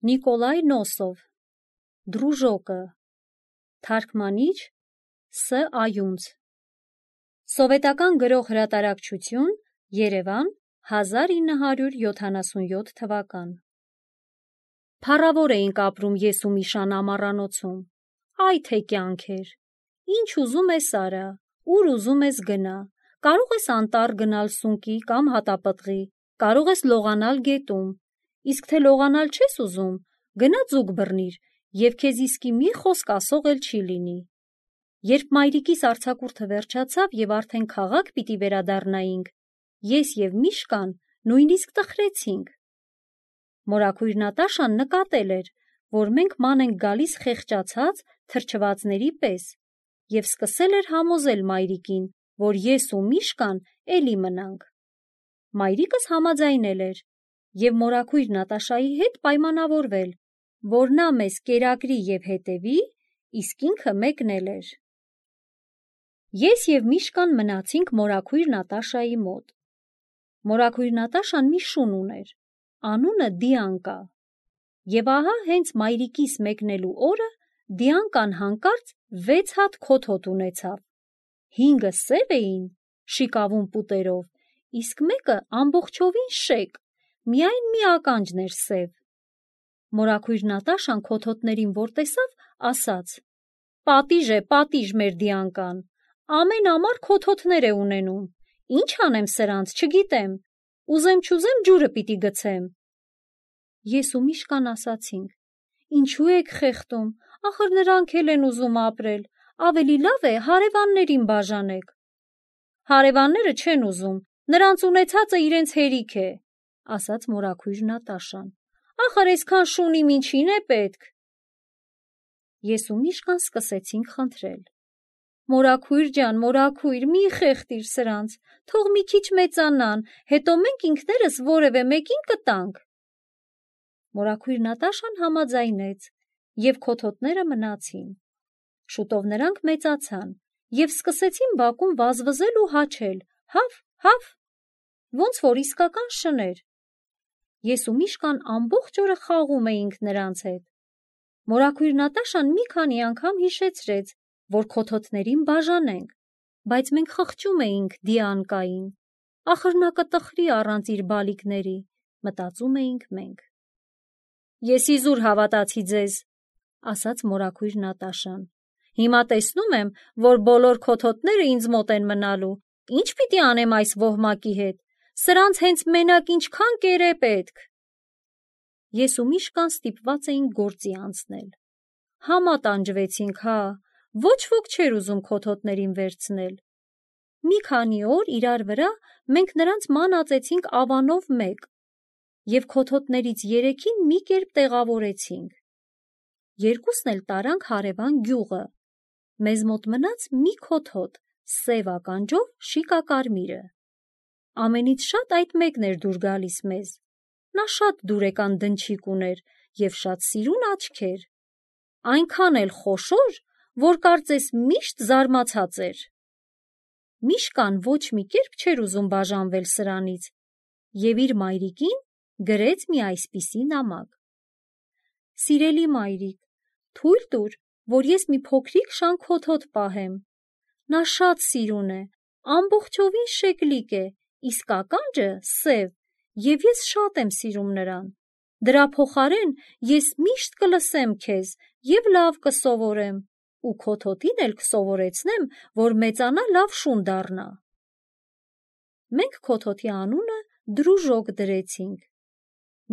Նիկոլայ Նոսով, Դրուժոկը, թարգմանիչ Ս. Այունց, Սովետական գրող հրատարակչություն, Երևան, 1977 թվական։ Փառավոր էինք ապրում ես ու Միշան ամառանոցում, այ թե կյանք էր, ինչ ուզում ես արա, ուր ուզում ես գնա, կարող ես անտառ գնալ սունկի կամ հատապտղի, կարող ես լողանալ գետում, իսկ թե լողանալ չես ուզում, գնա ձուկ բռնիր և քեզ իսկի մի խոսք ասող էլ չի լինի։ Երբ մայրիկիս արձակուրդը վերջացավ և արդեն քաղաք պիտի վերադառնայինք, ես և Միշկան նույնիսկ տխրեցինք։ Մորաքույր Նատաշան նկատել էր, որ մենք ման ենք գալիս խեղճացած թրջվածների պես և սկսել էր համոզել մայրիկին, որ ես ու Միշկան էլի մնանք։ Մայրիկս համաձայնել էր և մորաքույր Նատաշայի հետ պայմանավորվել, որ նա մեզ կերակրի և հետևի, իսկ ինքը մեկնել էր։ Ես և Միշկան մնացինք մորաքույր Նատաշայի մոտ։ Մորաքույր Նատաշան մի շուն ուներ, անունը Դիանկա, և ահա հենց մայրիկիս մեկնելու օրը Դիանկան հանկարծ 6 հատ քոթոտ ունեցավ, 5-ը սև էին, շիկավուն պուտերով, իսկ մեկը ամբողջովին շեկ, միայն մի ականջն էր սև։ Մորաքույր Նատաշան քոթոտներին որ տեսավ, ասաց. պատիժ մեր Դիանկան, ամեն ամառ քոթոտներ է ունենում, ինչ անեմ սրանց, չգիտեմ, ուզեմ-չուզեմ ջուրը պիտի գցեմ։ Ես ու Միշկան ասացինք. ինչու եք խեղդում, ախր նրանք էլ են ուզում ապրել, ավելի լավ է հարևաններին բաժանեք։ Հարևանները չեն ուզում, նրանց ունեցածը իրենց հերիք է, ասաց մորաքույր Նատաշան, ախր այսքան շունին ինչին է պետք։ Ես ու Միշկան սկսեցինք խնդրել. Մորաքույր ջան, մորաքույր, մի խեղդիր սրանց, թող մի քիչ մեծանան, հետո մենք ինքներս որևէ մեկին կտանք։ Մորաքույր Նատաշան համաձայնեց, և քոթոտները մնացին։ Շուտով նրանք մեծացան և սկսեցին բակում վազվզել ու հաչել. հավ, ոնց որ իսկական շներ։ Ես ու Միշկան ամբողջ օրը խաղում էինք նրանց հետ։ Մորաքույր Նատաշան մի քանի անգամ հիշեցրեց, որ քոթոտներին բաժանենք, բայց մենք խղճում էինք Դիանկային, ախր նա կտխրի առանց իր բալիկների, մտածում էինք մենք։ Ես իզուր հավատացի ձեզ, ասաց մորաքույր Նատաշան, հիմա տեսնում եմ, որ բոլոր քոթոտները ինձ մոտ են մնալու, ինչ պիտի անեմ այս ոհմակի հետ, սրանց հենց մենակ ինչքան կեր է պետք։ Ես ու Միշկան ստիպված էինք գործի անցնել։ Համա տանջվեցինք, հա, ոչ ոք չէր ուզում քոթոտներին վերցնել։ Մի քանի օր իրար վրա մենք նրանց ման ածեցինք ավանով մեկ և քոթոտներից 3-ին մի կերպ տեղավորեցինք։ Երկուսն էլ տարանք հարևան գյուղը։ Մեզ մոտ մնաց մի քոթոտ, սև ականջով շիկակարմիրը։ Ամենից շատ այդ մեկն էր դուր գալիս մեզ։ Նա շատ դուրեկան դնչիկ ուներ և շատ սիրուն աչքեր, այնքան էլ խոշոր, որ կարծես միշտ զարմացած էր։ Միշկան ոչ մի կերպ չէր ուզում բաժանվել սրանից և իր մայրիկին գրեց մի այսպիսի նամակ. Սիրելի մայրիկ, թույլ տուր, որ ես մի փոքրիկ շան քոթոտ պահեմ։ Նա շատ սիրուն է, ամբողջովին շեկլիկ է, իսկ ականջը սև, և ես շատ եմ սիրում նրան։ Դրա փոխարեն ես միշտ կլսեմ քեզ և լավ կսովորեմ ու քոթոտին էլ կսովորեցնեմ, որ մեծանա լավ շուն դառնա։ Մենք քոթոտի անունը Դրուժոկ դրեցինք։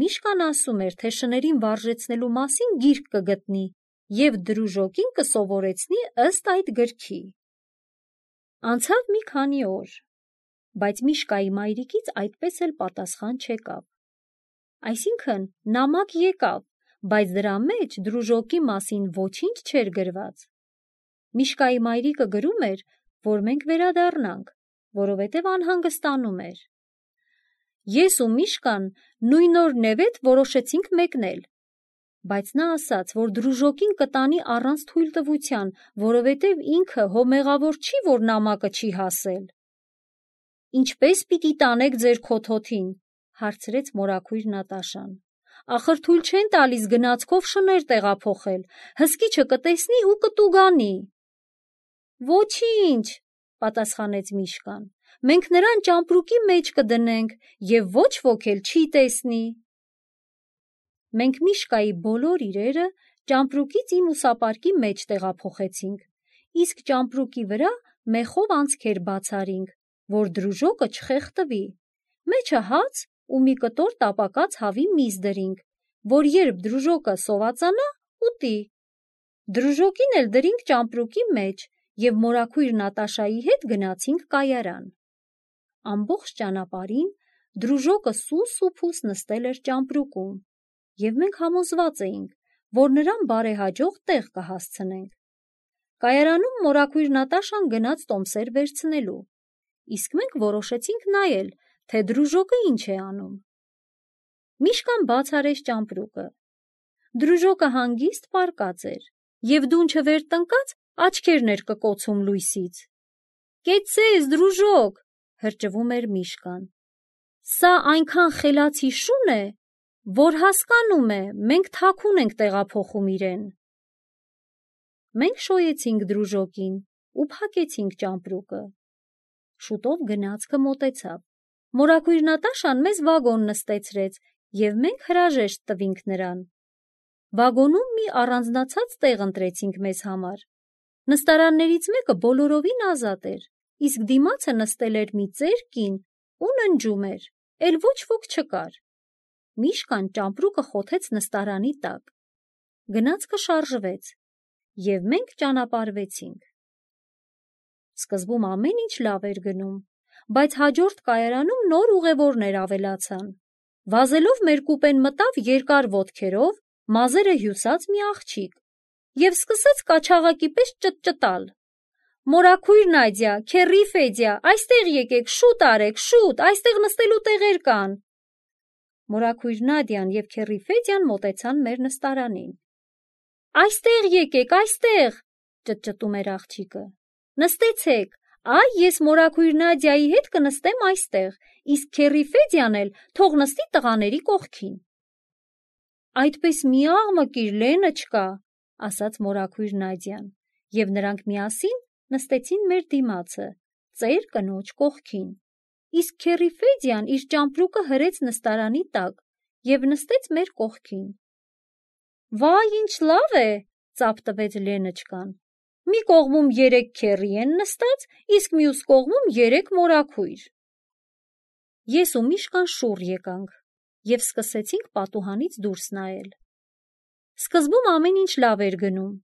Միշկան ասում էր, թե շներին վարժեցնելու մասին գիրք կգտնի և Դրուժոկին կսովորեցնի ըստ այդ գրքի։ Անցավ մի քանի օր, բայց Միշկայի մայրիկից այդպես էլ պատասխան չեկավ։ Այսինքն նամակ եկավ, բայց դրա մեջ Դրուժոկի մասին ոչինչ չէր գրված։ Միշկայի մայրիկը գրում էր, որ մենք վերադառնանք, որովհետև անհանգստանում էր։ Ես ու Միշկան նույն օր նեվետ որոշեցինք մեկնել, բայց նա ասաց, որ Դրուժոկին կտանի առանց թույլտվության, որովհետև ինքը հո մեղավոր չի, որ նամակը չի հասել։ Ինչպե՞ս պիտի տանեք ձեր քոթոտին, հարցրեց մորաքույր Նատաշան։ ախր թույլ չեն տալիս գնացքով շներ տեղափոխել, հսկիչը կտեսնի ու կտուգանի։ Ոչինչ, պատասխանեց Միշկան, մենք նրան ճամպրուկի մեջ կդնենք և ոչ ոք էլ չի տեսնի։ Մենք Միշկայի բոլոր իրերը ճամպրուկից իմ ուսապարկի մեջ տեղափոխեցինք, իսկ ճամպրուկի վրա մեխով անցքեր բացարինք, որ դրուժոկը չխեղդվի, մեջը հաց ու մի կտոր տապակած հավի միս դրինք, որ երբ դրուժոկը սովածանա, ուտի։ Դրուժոկին էլ դրինք ճամպրուկի մեջ և մորաքույր Նատաշայի հետ գնացինք կայարան։ Ամբողջ ճանապարհին դրուժոկը սուս ու փուս նստել էր ճամպրուկում, և մենք համոզված էինք, որ նրան բարեհաջող տեղ կհասցնենք։ Կայարանում մորաքույր Նատաշան գնաց տոմսեր վերցնելու, իսկ մենք որոշեցինք նայել, թե դրուժոկը ինչ է անում։ Միշկան բաց արեց ճամպրուկը։ Դրուժոկը հանգիստ պառկած էր, և դունչը վեր տնկած աչքերն էր կկոցում լույսից։ «Կեցցես, դրուժոկ», հրճվում էր Միշկան։ «Սա այնքան խելացի շուն է, որ հասկանում է, մենք թաքուն ենք տեղափոխում իրեն»։ Մենք շոյեցինք դրուժոկին ու փակեցինք ճամպրուկը։ Շուտով գնացքը մոտեցավ։ Մորաքույր Նատաշան մեզ վագոն նստեցրեց, և մենք հրաժեշտ տվինք նրան։ Վագոնում մի առանձնացած տեղ ընտրեցինք մեզ համար։ Նստարաններից մեկը բոլորովին ազատ էր, իսկ դիմացը նստել էր մի ծեր կին ու ննջում էր, էլ ոչ ոք չկար։ Միշկան ճամպրուկը խոթեց նստարանի տակ։ Գնացքը շարժվեց, և մենք ճանապարհվեցինք։ Սկզբում ամեն ինչ լավ էր գնում, բայց հաջորդ կայարանում նոր ուղևորներ ավելացան։ Վազելով մեր կուպեն մտավ երկար ոտքերով, մազերը հյուսած մի աղջիկ և սկսեց կաչաղակի պես ճտճտալ. «Մորաքույր Նադյա, քեռի Ֆեդյա, այստեղ եկեք, շուտ արեք, շուտ, այստեղ նստելու տեղեր կան»։ Մորաքույր Նադյան և քեռի Ֆեդյան մոտեցան մեր նստարանին։ «Այստեղ եկեք, այստեղ», ճտճտում էր աղջիկը։ «Նստեցեք, այ ես մորաքույր Նադյայի հետ կնստեմ այստեղ, իսկ քեռի Ֆեդյան էլ թող նստի տղաների կողքին»։ «Այդպես մի աղմկիր, Լեննոչկա», ասաց մորաքույր Նադյան, և նրանք միասին նստեցին մեր դիմացը, ծեր կնոջ կողքին, իսկ քեռի Ֆեդյան իր ճամպրուկը հրեց նստարանի տակ և նստեց մեր կողքին։ «Վայ, ինչ լավ է», ծափ տվեց Լեննոչկան, «մի կողմում 3 քեռի են նստած, իսկ մյուս կողմում 3 մորաքույր»։ Ես ու Միշկան շուռ եկանք և սկսեցինք պատուհանից դուրս նայել։ Սկզբում ամեն ինչ լավ էր գնում։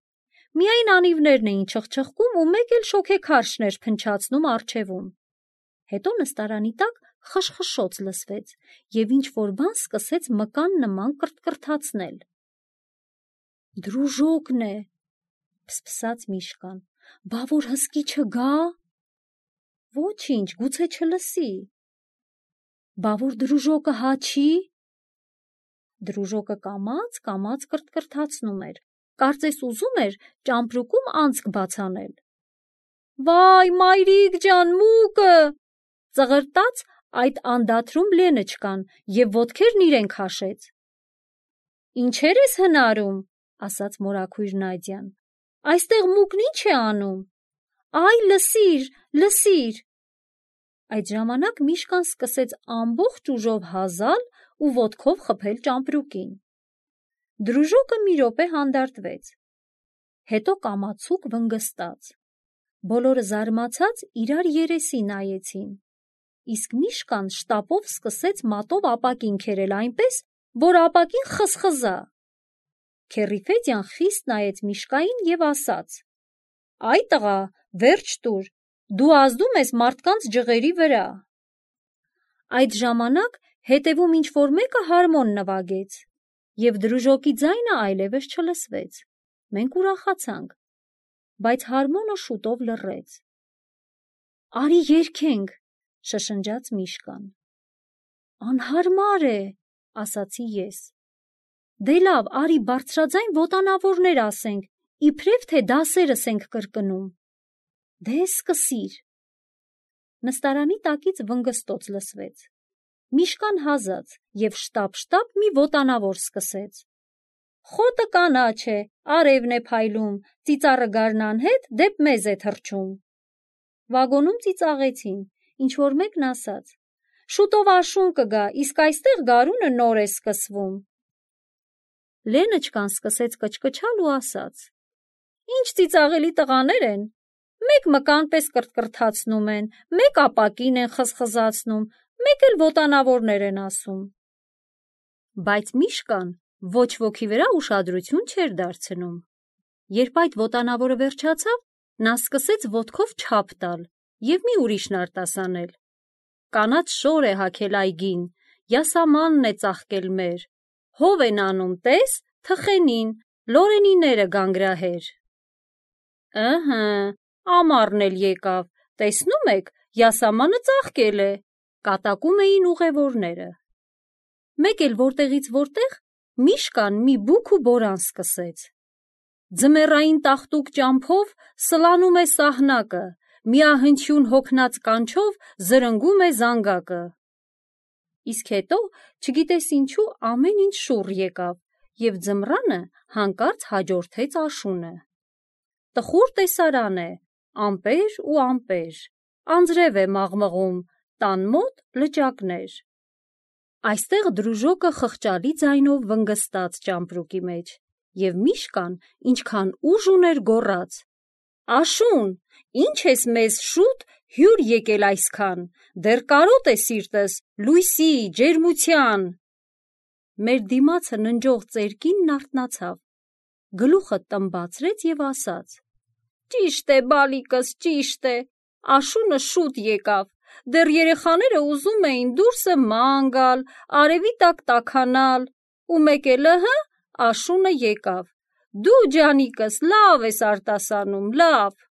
Միայն անիվներն էին չխչխկում ու մեկ էլ շոգեքարշն էր փնչացնում առջևում։ Հետո նստարանի տակ խշխշոց լսվեց, և ինչ-որ բան սկսեց մկան նման կռթկռթացնել։ «Դրուժոկն է», փսփսաց Միշկան, «բա որ հսկիչը գա»։ «Ոչինչ, գուցե չլսի»։ «Բա որ դրուժոկը հաչի»։ Դրուժոկը կամաց կռթկռթացնում էր, կարծես ուզում էր ճամպրուկում անցք բաց անել։ «Վայ, մայրիկ ջան, մուկը», ծղրտաց այդ անդադրում Լեննոչկան և ոտքերն իրեն քաշեց։ «Ինչեր ես հնարում», ասաց մորաքույր Նադյան, «այստեղ մուկն ինչ է անում»։ «Այ, լսիր, լսիր»։ Այդ ժամանակ Միշկան սկսեց ամբողջ ուժով հազալ ու ոտքով խփել ճամպրուկին։ Դրուժոկը մի րոպե հանդարտվեց, հետո կամացուկ վնգստաց։ Բոլորը զարմացած իրար երեսի նայեցին, իսկ Միշկան շտապով սկսեց մատով ապակին քերել այնպես, որ ապակին խզխզա։ Քեռի Ֆեդյան խիստ նայեց Միշկային և ասաց. «Այ տղա, վերջ տուր, դու ազդում ես մարդկանց ջղերի վրա»։ Այդ ժամանակ հետևում ինչ-որ մեկը հարմոն նվագեց, և դրուժոկի ձայնը այլևս չլսվեց։ Մենք ուրախացանք, բայց հարմոնը շուտով լռեց։ «Արի երգենք», շշնջաց Միշկան։ «Անհարմար է», ասացի ես։ «Դե լավ, արի բարձրաձայն ոտանավորներ ասենք, իբրև թե դասերս ենք կրկնում»։ «Դե սկսիր»։ Նստարանի տակից վնգստոց լսվեց։ Միշկան հազաց և շտապ-շտապ մի ոտանավոր սկսեց. «Խոտը կանաչ է, արևն է փայլում, ծիծառը գարնան հետ դեպ մեզ է թռչում»։ Վագոնում ծիծաղեցին, ինչ-որ մեկն ասաց. «Շուտով աշուն կգա, իսկ այստեղ գարունը նոր է սկսվում»։ Լեննչկան սկսեց կչկչալ ու ասաց. «Ինչ ծիծաղելի տղաներ են, մեկ մկան պես կրթկրթացնում են, մեկ ապակին են խզխզացնում, մեկ էլ ոտանավորներ են ասում»։ Բայց Միշկան ոչ ոքի վրա ուշադրություն չէր դարձնում։ Երբ այդ ոտանավորը վերջացավ, նա սկսեց ոտքով չափ տալ և մի ուրիշն արտասանել. «Կանաչ շոր է հագել այգին, յասամանն է ծաղկել մեր, հով են անում, տես, թխենին, լորենիները գանգրահեր»։ «Ըհը, ամառն էլ եկավ, տեսնում եք, յասամանը ծաղկել է», կատակում էին ուղևորները։ Մեկ էլ որտեղից որտեղ Միշկան մի բուք ու բորան սկսեց. «Ձմեռային տաղտուկ ճամփով սլանում է սահնակը, միահնչյուն հոգնած կանչով զրնգում է զանգակը»։ Իսկ հետո, չգիտես ինչու, ամեն ինչ շուռ եկավ, և ձմռանը հանկարծ հաջորդեց աշունը։ Տխուր տեսարան է, ամպեր ու ամպեր, անձրև է մաղմղում, տան մոտ լճակներ։ Այստեղ դրուժոկը խղճալի ձայնով վնգստաց ճամպրուկի մեջ, և Միշկան ինչքան ուժ ուներ գոռաց. «Աշուն, ինչ ես մեզ շուտ հյուր եկել այսքան, դեռ կարոտ է սիրտս լույսի, ջերմության»։ Մեր դիմացը ննջող ծերկինն արթնացավ, գլուխը տմբացրեց և ասաց. «Ճիշտ է, բալիկս, ճիշտ է, աշունը շուտ եկավ, դեռ երեխաները ուզում էին դուրսը ման գալ, արևի տակ տաքանալ, ու մեկ էլ ըհը, աշունը եկավ, դու ջանիկս լավ ես արտասանում, լավ»։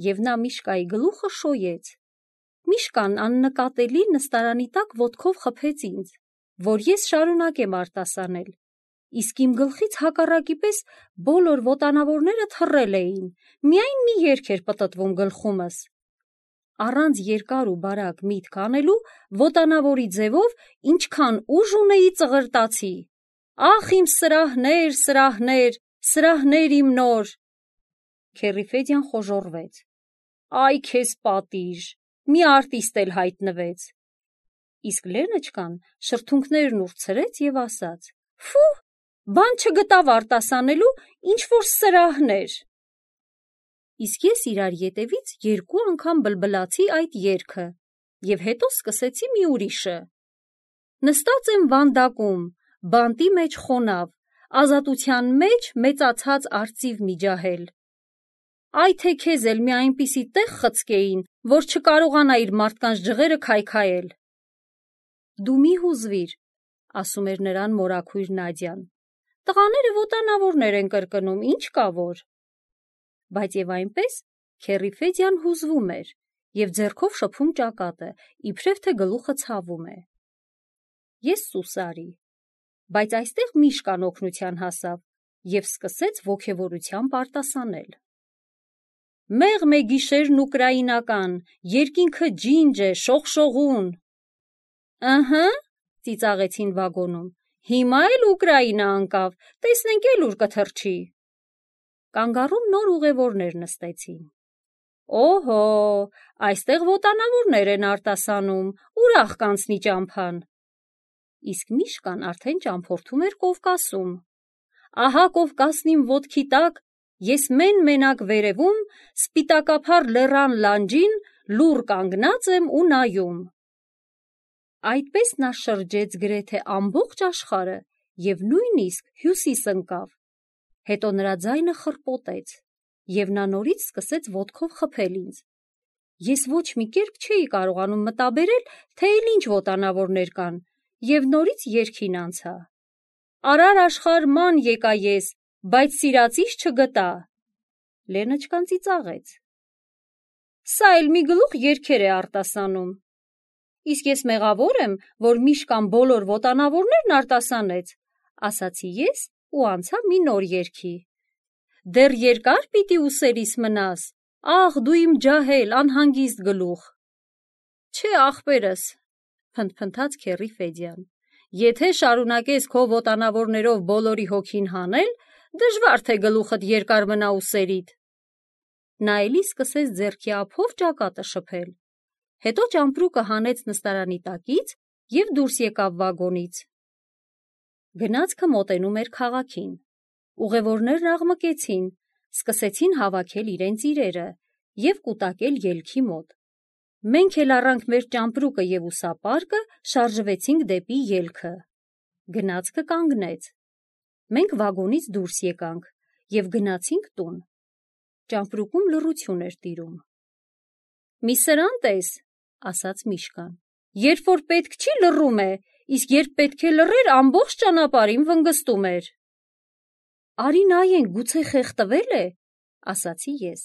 Եվ նա Միշկայի գլուխը շոյեց։ Միշկան աննկատելի նստարանի տակ ոտքով խփեց ինձ, որ ես շարունակեմ արտասանել, իսկ իմ գլխից հակառակի պես բոլոր ոտանավորները թռել էին, միայն մի երգ էր պտտվում գլխումս։ Առանց երկար ու բարակ միտք անելու ոտանավորի ձևով ինչքան ուժ ունեի ծղրտացի. «Ախ իմ սրահներ, սրահներ, սրահներ իմ նոր»։ Քեռի խոժոռվեց. «Այ քեզ պատիժ, մի արտիստ էլ հայտնվեց»։ Իսկ Լեննչկան շրթունքներն ուրցրեց և ասաց. «Ֆու, բան չգտավ արտասանելու, ինչ-որ սրահներ»։ Իսկ ես իրար ետևից 2 անգամ բլբլացի այդ երգը և հետո սկսեցի մի ուրիշը. «Նստած եմ վանդակում, բանտի մեջ խոնավ, ազատության մեջ մեծացած արծիվ մի ջահել»։ Այ թե քեզ էլ մի այնպիսի տեղ խցկեին, որ չկարողանայիր մարդկանց ջղերը քայքայել։ «Դու մի հուզվիր», ասում էր նրան մորաքույր Նադյան, «տղաները ոտանավորներ են կրկնում, ինչ կա որ»։ Բայց և այնպես քեռի Ֆեդյան հուզվում էր և ձեռքով շփում ճակատը, իբրև թե գլուխը ցավում է։ Ես սուսարի, բայց այստեղ Միշկան օգնության հասավ և սկսեց ոգևորությամբ արտասանել. «Մեղմ է գիշերն ուկրաինական, երկինքը ջինջ է, շողշողուն»։ «Ըհը», ծիծաղեցին վագոնում, «հիմա էլ Ուկրաինա անկավ, տեսնենք էլ ուր կթռչի»։ Կանգառում նոր ուղևորներ նստեցին։ «Օհո, այստեղ ոտանավորներ են արտասանում, ուրախ կանցնի ճամփան»։ Իսկ Միշկան արդեն ճամփորդում էր Կովկասում։ «Ահա Կովկասն իմ ոտքի տակ, ես մեն-մենակ վերևում, սպիտակափառ լեռան լանջին լուռ կանգնած եմ ու նայում»։ Այդպես նա շրջեց գրեթե ամբողջ աշխարհը և նույնիսկ Հյուսիս ընկավ։ Հետո նրա ձայնը խռպոտեց, և նա նորից սկսեց ոտքով խփել ինձ։ Ես ոչ մի կերպ չէի կարողանում մտաբերել, թե էլ ինչ ոտանավորներ կան, և նորից երգին անցա. «Արար աշխարհ ման եկա ես, բայց սիրածիս չգտա»։ Լեննչկան ծիծաղեց. «Սա էլ մի գլուխ երգեր է արտասանում»։ «Իսկ ես մեղավոր եմ, որ Միշկան բոլոր ոտանավորներն արտասանեց», ասացի ես ու անցա մի նոր երգի. «Դեռ երկա՞ր պիտի ուսերիս մնաս, ախ դու իմ ջահել, անհանգիստ գլուխ»։ Չէ, ախպերս, փնթփնթաց քեռի Ֆեդյան։ Եթե շարունակես քո ոտանավորներով բոլորի հոգին հանել, դժվար թե գլուխդ երկար մնա ուսերիդ։ Նա էլի սկսեց ձեռքի ափով ճակատը շփել։ Հետո ճամպրուկը հանեց նստարանի տակից և դուրս եկավ վագոնից։ Գնացքը մոտենում էր քաղաքին։ Ուղևորներն աղմկեցին, սկսեցին հավաքել իրենց իրերը և կուտակել ելքի մոտ։ Մենք էլ առանք մեր ճամպրուկը և ուսապարկը, շարժվեցինք դեպի ելքը։ Գնացքը կանգնեց։ Մենք վագոնից դուրս եկանք և գնացինք տուն։ Ճամպրուկում լռություն էր տիրում։ «Մի սրան տես», ասաց Միշկան։ «Երբ որ պետք չի, լռում է, իսկ երբ պետք է լռեր, ամբողջ ճանապարհին վնգստում էր»։ «Արի նայենք, գուցե խեղդվել է», ասացի ես։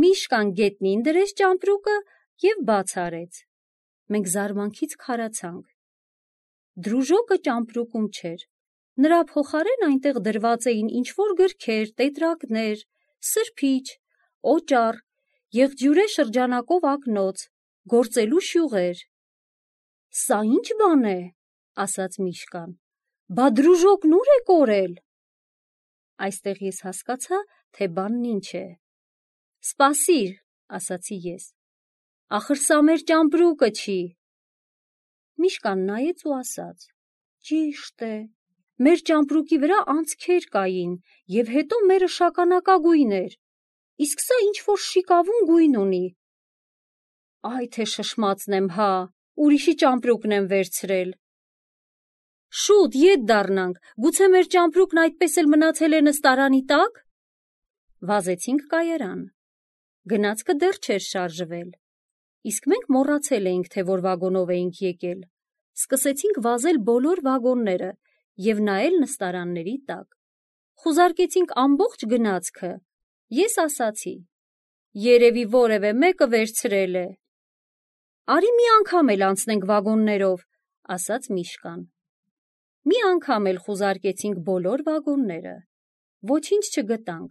Միշկան գետնին դրեց ճամպրուկը և բաց արեց։ Մենք զարմանքից քարացանք։ Դրուժոկը ճամպրուկում չէր։ Նրա փոխարեն այնտեղ դրված էին ինչ-որ գրքեր, տետրակներ, սրբիչ, օճառ, եղջյուրե շրջանակով ակնոց, գործելու շյուղեր։ «Սա ի՞նչ բան է», ասաց Միշկան։ «Բա դրուժոկն ուր է կորել»։ Այստեղ ես հասկացա, թե բանն ինչ է։ «Սպասիր», ասացի ես։ «Ախր սա մեր ճամպրուկը չի»։ Միշկան նայեց ու ասաց. «Ճիշտ է, մեր ճամպրուկի վրա անցքեր կային, և հետո մերը շագանակագույն էր, իսկ սա ինչ-որ շիկավուն գույն ունի»։ «Այ թե շշմածն եմ, հա, ուրիշի ճամպրուկն եմ վերցրել»։ «Շուտ, ետ դառնանք, գուցե մեր ճամպրուկն այդպես էլ մնացել է նստարանի տակ»։ Վազեցինք կայարան։ Գնացքը դեռ չէր շարժվել, իսկ մենք մոռացել էինք, թե որ վագոնով էինք եկել։ Սկսեցինք վազել բոլոր վագոնները և նայել նստարանների տակ։ Խուզարկեցինք ամբողջ գնացքը։ Ես ասացի. «Երևի որևէ մեկը վերցրել է»։ «Արի մի անգամ էլ անցնենք վագոններով», ասաց Միշկան։ Մի անգամ էլ խուզարկեցինք բոլոր վագոնները։ Ոչինչ չգտանք։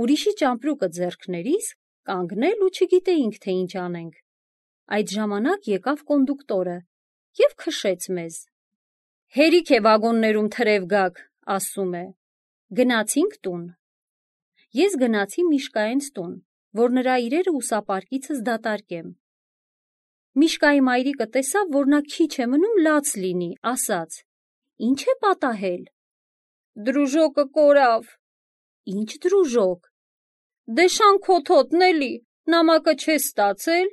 Ուրիշի ճամպրուկը ձեռքներիս կանգնել ու չգիտեինք, թե ինչ անենք։ Այդ ժամանակ եկավ կոնդուկտորը և քշեց մեզ։ «Հերիք է վագոններում թրև գաք», ասում է։ Գնացինք տուն։ Ես գնացի Միշկայենց տուն, որ նրա իրերը ուսապարկիցս դատարկեմ։ Միշկայի մայրիկը տեսավ, որ նա քիչ է մնում լաց լինի, ասաց. «Ինչ է պատահել»։ «Դրուժոկը կորավ»։ «Ինչ դրուժոկ»։ «Դե շանքոթոտն էլի, նամակը չես ստացել»։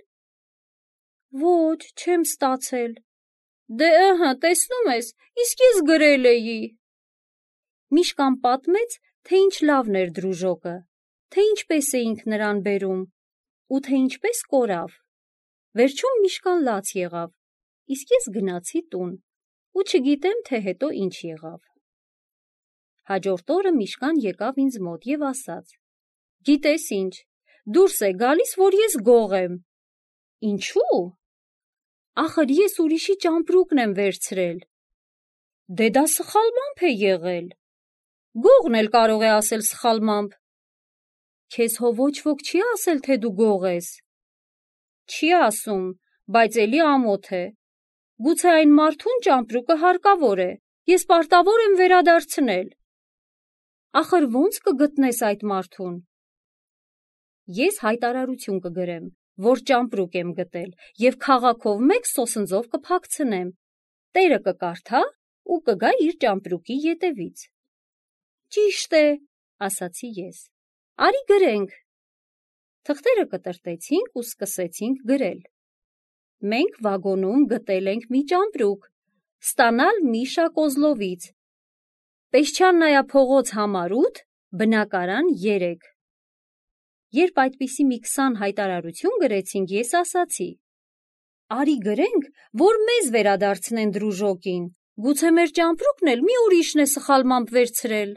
«Ոչ, չեմ ստացել»։ «Դե ըհը, տեսնում ես, իսկ ես գրել էի»։ Միշկան պատմեց, թե ինչ լավն էր դրուժոկը, թե ինչպես էինք նրան բերում ու թե ինչպես կորավ։ Վերջում Միշկան լաց եղավ, իսկ ես գնացի տուն ու չգիտեմ, թե հետո ինչ եղավ։ Հաջորդ օրը Միշկան եկավ ինձ մոտ և ասաց. «Գիտես ինչ, դուրս է գալիս, որ ես գող եմ»։ «Ինչու»։ «Ախր ես ուրիշի ճամպրուկն եմ վերցրել»։ «Դե դա սխալմամբ է եղել»։ «Գողն էլ կարող է ասել սխալմամբ»։ «Քեզ հո ոչ ոք չի ասել, թե դու գող ես»։ «Չի ասում, բայց էլի ամոթ է։ Գուցե այն մարդուն ճամպրուկը հարկավոր է, ես պարտավոր եմ վերադարձնել»։ «Ախր ո՞նց կգտնես այդ մարդուն»։ «Ես հայտարարություն կգրեմ, որ ճամպրուկ եմ գտել և քաղաքով մեկ սոսնձով կփակցնեմ, տերը կկարդա ու կգա իր ճամպրուկի ետևից»։ «Ճիշտ է», ասացի ես։ «Արի գրենք»։ Թղթերը կտրտեցինք ու սկսեցինք գրել։ Մենք վագոնում գտել ենք մի ճամպրուկ, ստանալ Միշա Կոզլովից, Պեսչաննայա փողոց համար 8, բնակարան 3։ Երբ այդպիսի մի 20 հայտարարություն գրեցինք, ես ասացի. «Արի գրենք, որ մեզ վերադարձնեն դրուժոկին, գուցե մեր ճամպրուկն էլ մի ուրիշն է սխալմամբ վերցրել»։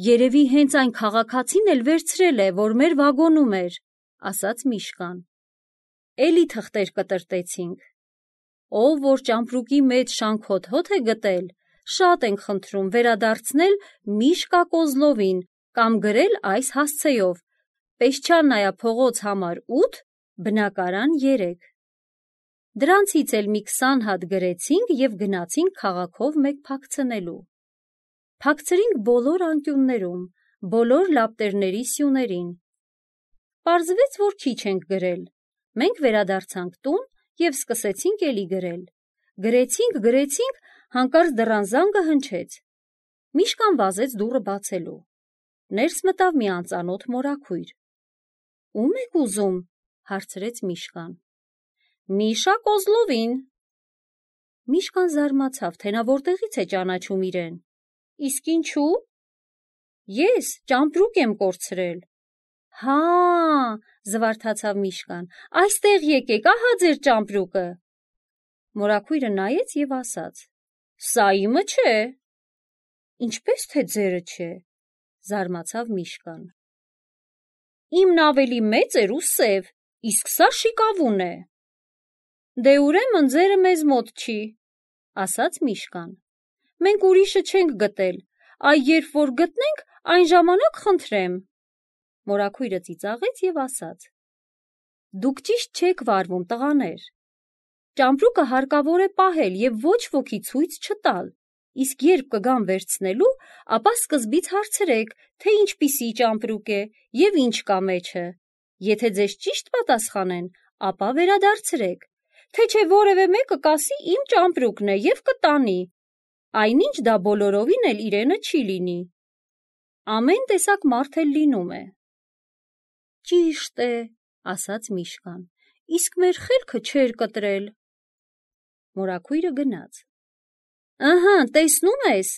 «Երևի հենց այն քաղաքացին էլ վերցրել է, որ մեր վագոնում էր», ասաց Միշկան։ Էլի թղթեր կտրտեցինք։ «Ով որ ճամպրուկի մեջ շանքոթոթ է գտել, շատ ենք խնդրում վերադարձնել Միշկա Կոզլովին կամ գրել այս հասցեով. Պեսչաննայա փողոց համար 8, բնակարան 3»։ Դրանցից էլ մի 20 հատ գրեցինք և գնացինք քաղաքով մեկ փակցնելու։ Փակցրինք բոլոր անկյուններում, բոլոր լապտերների սյուներին։ Պարզվեց, որ քիչ ենք գրել։ Մենք վերադարձանք տուն և սկսեցինք էլի գրել։ Գրեցինք, հանկարծ դռան զանգը հնչեց։ Միշկան վազեց դուռը բացելու։ Ներս մտավ մի անծանոթ մորաքույր։ «Ո՞ւմ եք ուզում» հարցրեց Միշկան։ «Միշա Կոզլովին»։ Միշկան զարմացավ, թե նա որտեղից է ճանաչում իրեն։ «Իսկ ինչու»։ «Ես ճամպրուկ եմ կորցրել»։ «Հա, զվարթացավ Միշկան, այստեղ եկեք, ահա ձեր ճամպրուկը»։ Մորաքույրը նայեց և ասաց. «Սա իմը չէ»։ «Ինչպես թե ձերը չէ», զարմացավ Միշկան։ «Իմն ավելի մեծ էր ու սև, իսկ սա շիկավուն է»։ «Դե ուրեմն ձերը մեզ մոտ չի», ասաց Միշկան։ «Մենք ուրիշը չենք գտել, այ երբ որ գտնենք, այն ժամանակ խնդրեմ»։ Մորաքույրը ծիծաղեց և ասաց. «Դուք ճիշտ չեք վարվում, տղաներ։ Ճամպրուկը հարկավոր է պահել և ոչ ոքի ցույց չտալ, իսկ երբ կգան վերցնելու, ապա սկզբից հարցրեք, թե ինչպիսի ճամպրուկ է և ինչ կա մեջը։ Եթե ձեզ ճիշտ պատասխանեն, ապա վերադարձրեք, թե չէ որևէ մեկը կասի իմ ճամպրուկն է և կտանի, այնինչ դա բոլորովին էլ իրենը չի լինի։ Ամեն տեսակ մարդ էլ լինում է»։ «Ճիշտ է», ասաց Միշկան, «իսկ մեր խելքը չէր կտրել»։ Մորաքույրը գնաց։ «Ըհը, տեսնում ես»,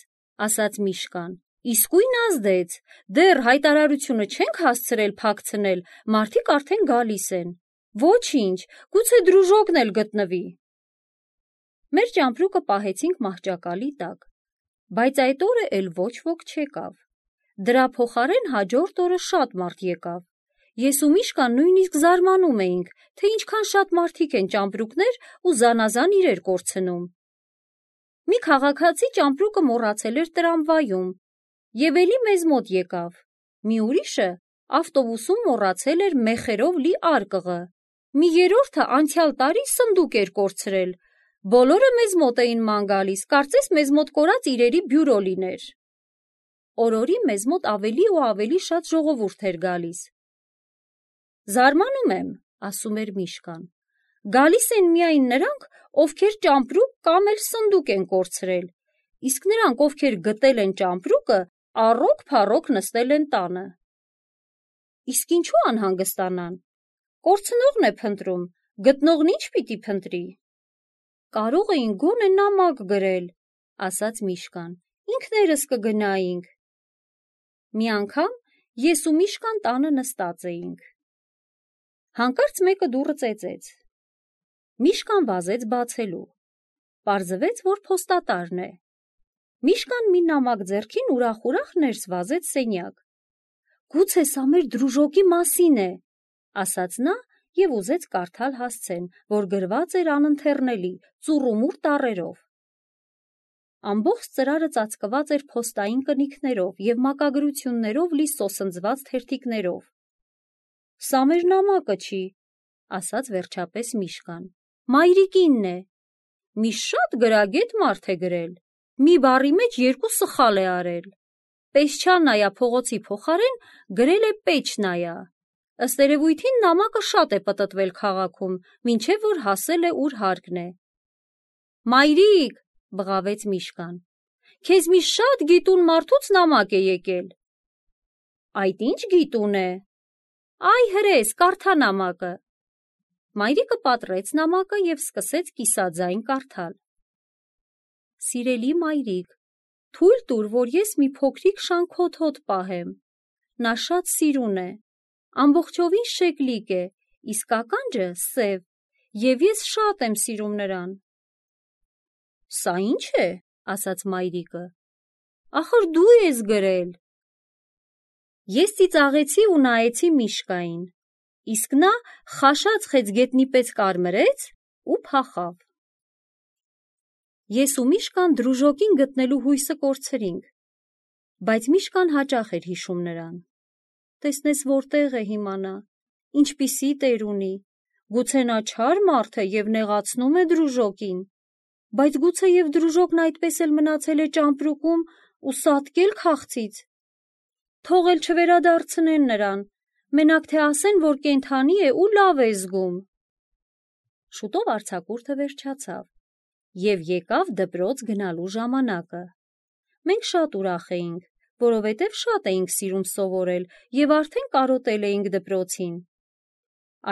ասաց Միշկան, «իսկույն ազդեց, դեռ հայտարարությունը չենք հասցրել փակցնել, մարդիկ արդեն գալիս են։ Ոչինչ, գուցե դրուժոկն էլ գտնվի»։ Մեր ճամպրուկը պահեցինք մահճակալի տակ, բայց այդ օրը էլ ոչ ոք չեկավ։ Դրա փոխարեն հաջորդ օրը շատ մարդ եկավ։ Ես ու Միշկան նույնիսկ զարմանում էինք, թե ինչքան շատ մարդիկ են ճամպրուկներ ու զանազան իրեր կորցնում։ Մի քաղաքացի ճամպրուկը մոռացել էր տրամվայում և էլի մեզ մոտ եկավ։ Մի ուրիշը ավտոբուսում մոռացել էր մեխերով լի արկղը։ Մի երրորդը անցյալ տարի սնդուկ էր կորցրել։ Բոլորը մեզ մոտ էին ման գալիս, կարծես մեզ մոտ կորած իրերի բյուրո լիներ։ Օրորի մեզ մոտ ավելի ու ավելի շատ ժողովուրդ էր գալիս։ «Զարմանում եմ», ասում էր Միշկան, «գալիս են միայն նրանք, ովքեր ճամպրուկ կամ էլ սնդուկ են կորցրել, իսկ նրանք, ովքեր գտել են ճամպրուկը, առոք-փառոք նստել են տանը»։ «Իսկ ինչու անհանգստանան։ Կորցնողն է փնտրում, գտնողն ինչ պիտի փնտրի»։ «Կարող էին գոնե նամակ գրել», ասաց Միշկան, «ինքներս կգնայինք»։ Մի անգամ ես ու Միշկան տանը նստած էինք։ Հանկարծ մեկը դուռը ծեծեց։ Միշկան վազեց բացելու։ Պարզվեց, որ փոստատարն է։ Միշկան մի նամակ ձեռքին ուրախ ներս վազեց սենյակ։ «Գուցե սա մեր դրուժոկի մասին է», ասաց նա և ուզեց կարդալ հասցեն, որ գրված էր անընթեռնելի, ծուռումուռ տառերով։ Ամբողջ ծրարը ծածկված էր փոստային կնիքներով և մակագրություններով լի սոսնձված թերթիկներով։ «Սա մեր նամակը չի», ասաց վերջապես Միշկան, «մայրիկինն է։ Մի շատ գրագետ մարդ է գրել, մի բառի մեջ 2 սխալ է արել։ Պեսչանայա փողոցի փոխարեն գրել է Պեչնայա։ Ըստ երևույթին նամակը շատ է պտտվել քաղաքում, մինչև որ հասել է ուր հարկն է»։ «Մայրիկ», բղավեց Միշկան, «քեզ մի շատ գիտուն մարդուց նամակ է եկել»։ «Այդ ինչ գիտուն է»։ «Այ հրես, կարդա նամակը»։ Մայրիկը պատռեց նամակը և սկսեց կիսաձայն կարդալ։ «Սիրելի մայրիկ, թույլ տուր, որ ես մի փոքրիկ շանքոտ հոտ պահեմ։ Նա շատ սիրուն է, ամբողջովին շեկլիկ է, իսկ ականջը սև, և ես շատ եմ սիրում նրան»։ «Սա ի՞նչ է», ասաց մայրիկը, «ախր դու ես գրել»։ Ես ծիծաղեցի ու նայեցի Միշկային, իսկ նա խաշած խեցգետնի պես կարմրեց ու փախավ։ Ես ու Միշկան դրուժոկին գտնելու հույսը կորցրինք, բայց Միշկան հաճախ էր հիշում նրան։ Տեսնես որտեղ է հիմա նա, ինչպիսի տեր ունի, Գուցե նա չար մարդ է և նեղացնում է դրուժոկին, բայց գուցե և դրուժոկն այդպես էլ մնացել է ճամպրուկում ու սատկել քաղցից։ Թող էլ չվերադարձնեն նրան, մենակ թե ասեն, որ կենդանի է ու լավ է զգում։ Շուտով արձակուրդը վերջացավ և եկավ դպրոց գնալու ժամանակը։ Մենք շատ ուրախ էինք, որովհետև շատ էինք սիրում սովորել և արդեն կարոտել էինք դպրոցին։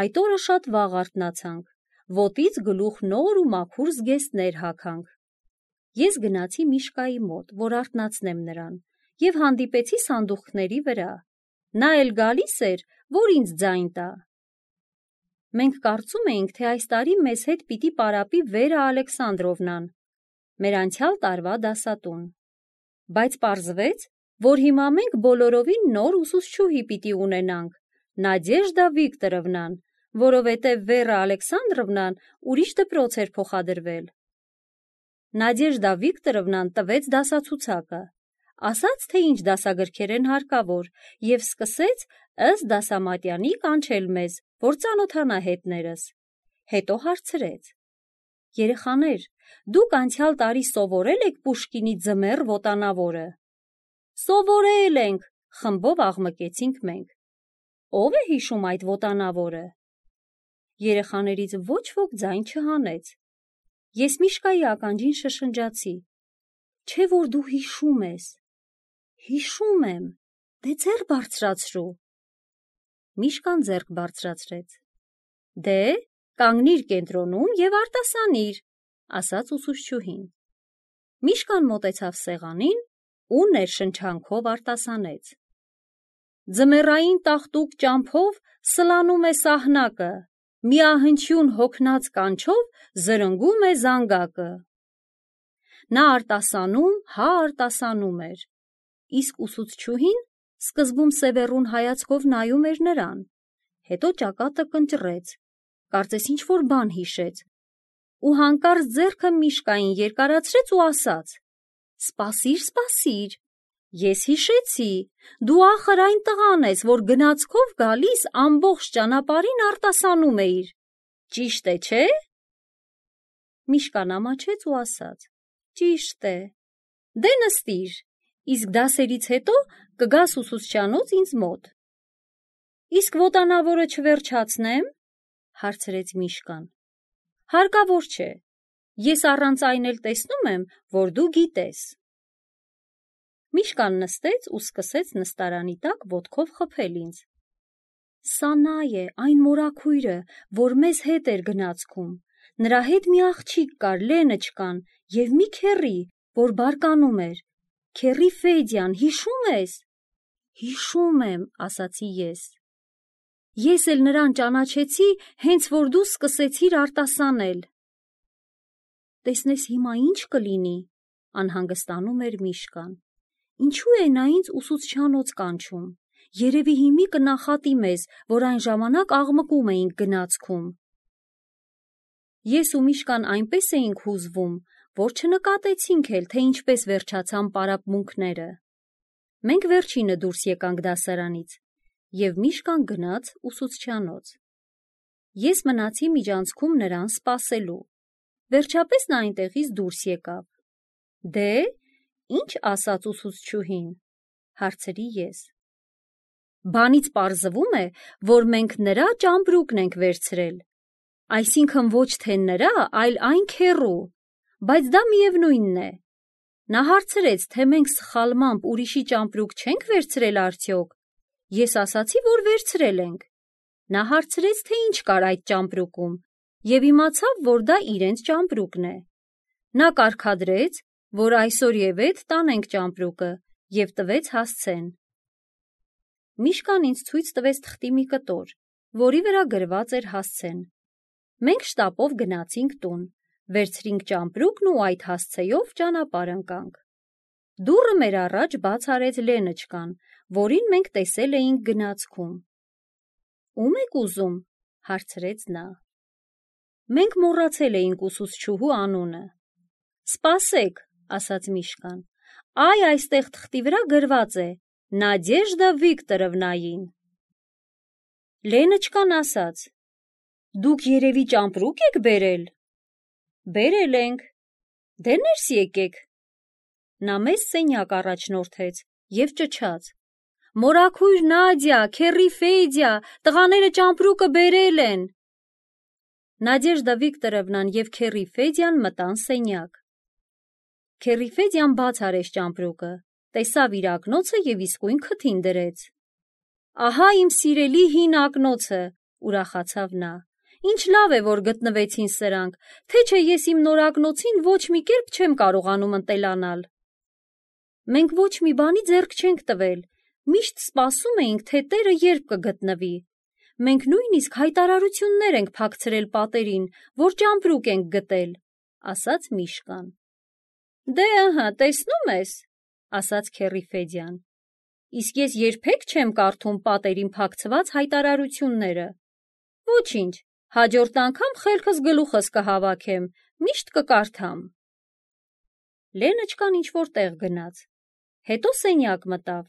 Այդ օրը շատ վաղ արթնացանք, ոտից գլուխ նոր ու մաքուր զգեստներ հագանք։ Ես գնացի Միշկայի մոտ, որ արթնացնեմ նրան, և հանդիպեցի սանդուղքների վրա։ Նա էլ գալիս էր, որ ինձ ձայն տա։ Մենք կարծում էինք, թե այս տարի մեզ հետ պիտի պարապի Վերա Ալեքսանդրովնան, մեր անցյալ տարվա դասատուն։ Բայց պարզվեց, որ հիմա մենք բոլորովին նոր ուսուցչուհի պիտի ունենանք, Նադեժդա Վիկտորովնան, որովհետև Վերա Ալեքսանդրովնան ուրիշ դպրոց էր փոխադրվել։ Նադեժդա Վիկտորովնան տվեց դասացուցակը, ասաց, թե ինչ դասագրքեր են հարկավոր, և սկսեց ըստ դասամատյանի կանչել մեզ, որ ծանոթանա հետներս։ Հետո հարցրեց. «Երեխաներ, դուք անցյալ տարի սովորել եք Պուշկինի ձմեռ ոտանավորը»։ «Սովորել ենք», խմբով աղմկեցինք մենք։ «Ո՞վ է հիշում այդ ոտանավորը»։ Երեխաներից ոչ ոք ձայն չհանեց։ Ես Միշկայի ականջին շշնջացի. «Չէ՞ որ դու հիշում ես»։ «Հիշում եմ, դե ձեռ բարձրացրու»։ Միշկան ձեռք բարձրացրեց։ «Դե, կանգնիր կենտրոնում և արտասանիր», ասաց ուսուցչուհին։ Միշկան մոտեցավ սեղանին ու ներշնչանքով արտասանեց. «Ձմեռային տաղտուկ ճամփով սլանում է սահնակը, միահնչյուն հոգնած կանչով զրնգում է զանգակը»։ Նա արտասանում էր, իսկ ուսուցչուհին սկզբում սևեռուն հայացքով նայում էր նրան, հետո ճակատը կնճռեց, կարծես ինչ-որ բան հիշեց, ու հանկարծ ձեռքը Միշկային երկարացրեց ու ասաց. «Սպասիր, ես հիշեցի, դու ախր այն տղան ես, որ գնացքով գալիս ամբողջ ճանապարհին արտասանում էիր, ճիշտ է, չէ՞»։ Միշկան ամաչեց ու ասաց. «Ճիշտ է»։ «Դե նստիր, իսկ դասերից հետո կգաս ուսուցչանոց ինձ մոտ»։ «Իսկ ոտանավորը չվերջացնե՞մ», հարցրեց Միշկան։ «Հարկավոր չէ, ես առանց այն էլ տեսնում եմ, որ դու գիտես»։ Միշկան նստեց ու սկսեց նստարանի տակ ոտքով խփել ինձ։ «Սա նա է, այն մորաքույրը, որ մեզ հետ էր գնացքում, նրա հետ մի աղջիկ կար, Լենոչկան, և մի քեռի, որ բարկանում էր, քեռի Ֆեդյան, հիշու՞մ ես»։ «Հիշում եմ», ասացի ես։ «Ես էլ նրան ճանաչեցի, հենց որ դու սկսեցիր արտասանել»։ «Տեսնես հիմա ինչ կլինի», անհանգստանում էր Միշկան։ «Ինչու է նա ինձ ուսուցչանոց կանչում, երևի հիմի կնախատի մեզ, որ այն ժամանակ աղմկում էինք գնացքում»։ Ես ու Միշկան այնպես էինք հուզվում, որ չնկատեցինք էլ, թե ինչպես վերջացան պարապմունքները։ Մենք վերջինը դուրս եկանք դասարանից, և Միշկան գնաց ուսուցչանոց։ Ես մնացի միջանցքում նրան սպասելու։ Վերջապես նա այնտեղից դուրս եկավ։ «Դե, ի՞նչ ասաց ուսուցչուհին», հարցրի ես։ «Բանից պարզվում է, որ մենք նրա ճամպրուկն ենք վերցրել, այսինքն ոչ թե նրա, այլ այն քեռու, բայց դա միևնույնն է։ Նա հարցրեց, թե մենք սխալմամբ ուրիշի ճամպրուկ չենք վերցրել արդյոք։ Ես ասացի, որ վերցրել ենք։ Նա հարցրեց, թե ինչ կար այդ ճամպրուկում, և իմացավ, որ դա իրենց ճամպրուկն է։ Նա կարգադրեց, որ այսօր և էդ տանենք ճամպրուկը, և տվեց հասցեն։ Միշկան ինձ ցույց տվեց թղթի մի կտոր, որի վրա գրված էր հասցեն։ Մենք շտապով գնացինք տուն, վերցրինք ճամպրուկն ու այդ հասցեով ճանապարհ ընկանք։ Դուռը մեր առաջ բաց արեց Լենոչկան, որին մենք տեսել էինք գնացքում։ «Ո՞ւմ եք ուզում», հարցրեց նա։ Մենք մոռացել էինք ուսուցչուհու անունը։ «Սպասեք», ասաց Միշկան, «այ այստեղ թղթի վրա գրված է Նադեժդա Վիկտորովնային»։ Լենոչկան ասաց. Դուք երևի ճամպրուկ եք բերել։ Բերել ենք։ Դե ներս եկեք։ Նա մեզ սենյակ առաջնորդեց և ճչաց. Մորաքույր Նադյա, քեռի Ֆեդյա, տղաները ճամպրուկը բերել են։ Նադեժդա Վիկտորովնան և քեռի Ֆեդյան մտան սենյակ։ Քեռի Ֆեդյան բաց արեց ճամպրուկը, տեսավ իր ակնոցը և իսկույն քթին դրեց։ Ահա իմ սիրելի հին ակնոցը, ուրախացավ նա։ Ինչ լավ է, որ գտնվեցին սրանք, թե չէ ես իմ նոր ակնոցին ոչ մի կերպ չեմ կարողանում ընտելանալ։ Մենք ոչ մի բանի ձեռք չենք տվել, միշտ սպասում էինք, թե տերը երբ կգտնվի։ Մենք նույնիսկ հայտարարություններ ենք փակցրել պատերին, որ ճամպրուկ ենք գտել, ասաց Միշկան։ Դե ըհը, տեսնում ես, ասաց քեռի Ֆեդյան։ Իսկ ես երբեք չեմ կարդում պատերին փակցված հայտարարությունները։ Ոչինչ, հաջորդ անգամ խելքս գլուխս կհավաքեմ, միշտ կկարդամ։ Լենոչկան ինչ-որ տեղ գնաց, հետո սենյակ մտավ,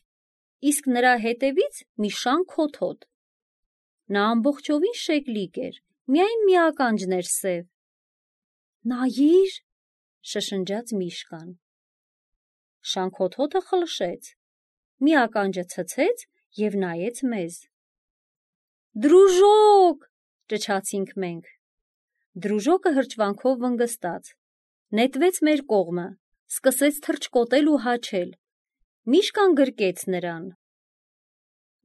իսկ նրա հետևից մի շան քոթոտ։ Նա ամբողջովին շեկլիկ էր, միայն մի ականջն էր սև։ Նայիր, շշնջաց Միշկան։ Շան քոթոտը խլշեց, մի ականջը ցցեց և նայեց մեզ։ Դրուժոկ, ճչացինք մենք։ Դրուժոկը հրճվանքով վնգստաց, նետվեց մեր կողմը, սկսեց թռչկոտել ու հաչել։ Միշկան գրկեց նրան։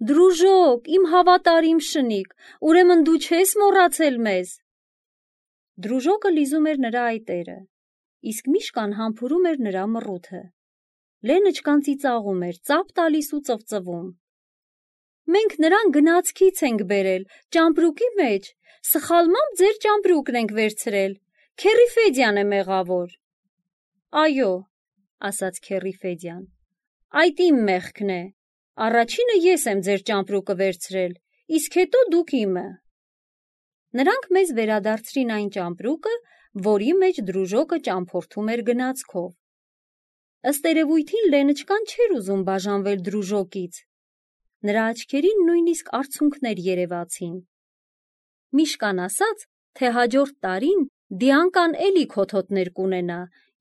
Դրուժոկ, իմ հավատարիմ շնիկ, ուրեմն դու չես մոռացել մեզ։ Դրուժոկը լիզում էր նրա այտերը, իսկ Միշկան համբուրում էր նրա մռութը։ Լենոչկան ծիծաղում էր, ծափ տալիս ու ծվծվում։ Մենք նրան գնացքից ենք բերել, ճամպրուկի մեջ, սխալմամբ ձեր ճամպրուկն ենք վերցրել, քեռի Ֆեդյան է մեղավոր։ Այո, ասաց քեռի Ֆեդյան, այդ իմ մեղքն է, առաջինը ես եմ ձեր ճամպրուկը վերցրել, իսկ հետո դուք իմը։ Նրանք մեզ վերադարձրին այն ճամպրուկը, որի մեջ Դրուժոկը ճամփորդում էր գնացքով։ Ըստ երևույթին Լենոչկան չէր ուզում բաժանվել Դրուժոկից։ Նրա աչքերին նույնիսկ արցունքներ երևացին։ Միշկան ասաց, թե հաջորդ տարին Դիանկան էլի քոթոտներ կունենա,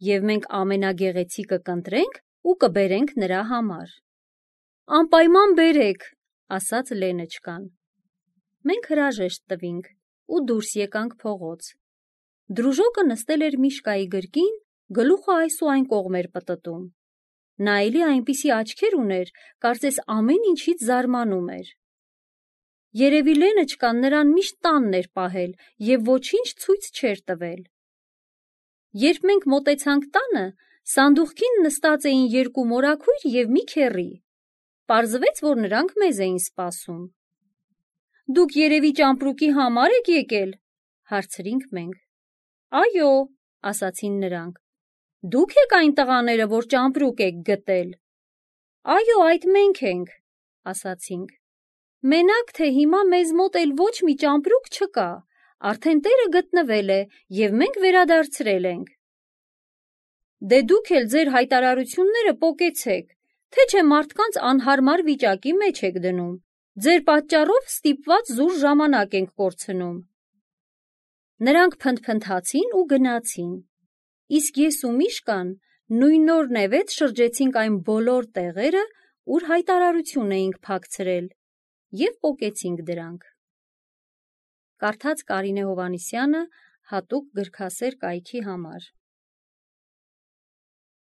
և մենք ամենագեղեցիկը կընտրենք ու կբերենք նրա համար։ Անպայման բերեք, ասաց Լենոչկան։ Մենք հրաժեշտ տվինք ու դուրս եկանք փողոց։ Դրուժոկը նստել էր Միշկայի գրկին, գլուխը այս ու այն կողմ էր պտտում։ Նա էլի այնպիսի աչքեր ուներ, կարծես ամեն ինչից զարմանում էր։ Երևի Լենոչկան նրան միշտ տանն էր պահել և ոչինչ ցույց չէր տվել։ Երբ մենք մոտեցանք տանը, սանդուղքին նստած էին երկու մորաքույր և մի քեռի։ Պարզվեց, որ նրանք մեզ էին սպասում։ Դուք երևի ճամպրուկի համար եք եկել, հարցրինք մենք։ Այո, ասացին նրանք։ Դուք եք այն տղաները, որ ճամպրուկ եք գտել։ Այո, այդ մենք ենք, ասացինք։ Մենակ թե հիմա մեզ մոտ էլ ոչ մի ճամպրուկ չկա, արդեն տերը գտնվել է և մենք վերադարձրել ենք։ Դե դուք էլ ձեր հայտարարությունները պոկեցեք, թե չէ մարդկանց անհարմար վիճակի մեջ եք դնում, ձեր պատճառով ստիպված զուր ժամանակ ենք կորցնում։ Նրանք փնթփնթացին ու գնացին, իսկ ես ու Միշկան նույն օրն էվեց շրջեցինք այն բոլոր տեղերը, ուր հայտարարություն էինք փակցրել, և պոկեցինք դրանք։ Կարդաց Կարինե Հովհաննիսյանը հատուկ գրքասեր կայքի համար։